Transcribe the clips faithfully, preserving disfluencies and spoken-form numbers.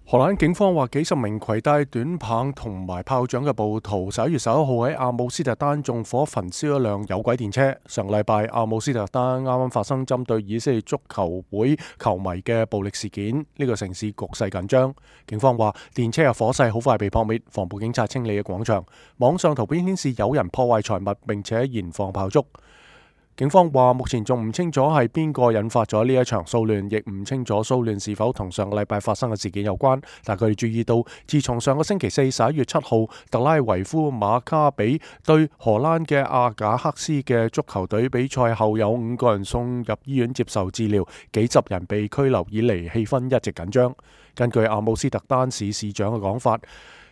荷蘭警方話，幾十名攜帶短棒同埋炮仗嘅暴徒十一月十一號喺阿姆斯特丹縱火焚燒一輛有軌電車。上個禮拜，阿姆斯特丹啱啱發生針對以色列足球會球迷嘅暴力事件，呢個城市局勢緊張。警方話，電車嘅火勢好快被撲滅，防暴警察清理嘅廣場。網上圖片顯示有人破壞財物，並且燃放炮竹。警方話，目前仲唔清楚係邊個引發咗呢一場騷亂，亦唔清楚騷亂是否同上個禮拜發生嘅事件有關。但佢哋注意到，自從上個星期四十一月七號特拉維夫馬卡比對荷蘭嘅阿賈克斯嘅足球隊比賽後，有五個人送入醫院接受治療，幾十人被拘留以嚟，氣氛一直緊張。根據阿姆斯特丹市市長嘅講法，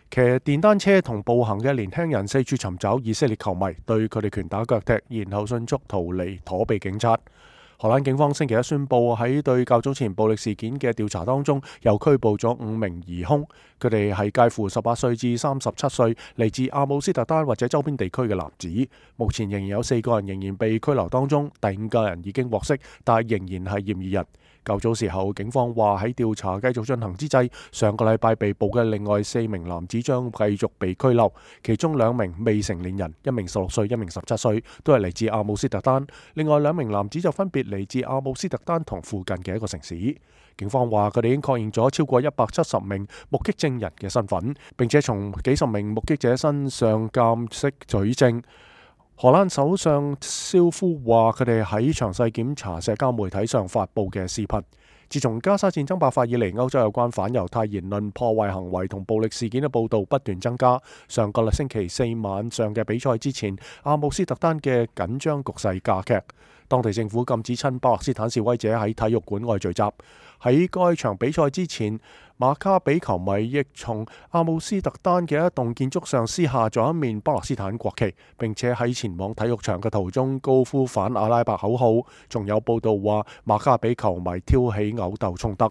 騎電單車同步行嘅年輕人四處尋找以色列球迷，對佢哋拳打腳踢，然後迅速逃離，躲避警察。荷蘭警方星期一宣布，喺對較早前暴力事件嘅調查當中，又拘捕咗五名疑兇，佢哋係介乎十八歲至三十七歲，嚟自阿姆斯特丹或者周邊地區嘅男子。目前仍然有四個人仍然被拘留當中，第五個人已經獲釋，但係仍然係嫌疑人。較早時候，警方話喺調查繼續進行之際，上個禮拜被捕嘅另外四名男子將繼續被拘留，其中兩名未成年人，一名十六歲，一名十七歲，都係嚟自阿姆斯特丹。另外兩名男子就分別嚟自阿姆斯特丹同附近嘅一個城市。警方話佢哋已經確認咗超過一百七十名目擊證人嘅身份，並且從幾十名目擊者身上鑑識取證。荷蘭首相肖夫話佢哋喺詳細檢查社交媒體上發布嘅視頻。自從加沙戰爭爆發以嚟，歐洲有關反猶太言論、破壞行為同暴力事件嘅報導不斷增加。上個星期四晚上嘅比賽之前，阿姆斯特丹嘅緊張局勢加劇，當地政府禁止親巴勒斯坦示威者喺體育館外聚集。喺該場比賽之前，馬卡比球迷亦從阿姆斯特丹嘅一棟建築上撕下咗一面巴勒斯坦國旗，並且喺前往體育場嘅途中高呼反阿拉伯口號。仲有報道話馬卡比球迷挑起毆鬥衝突。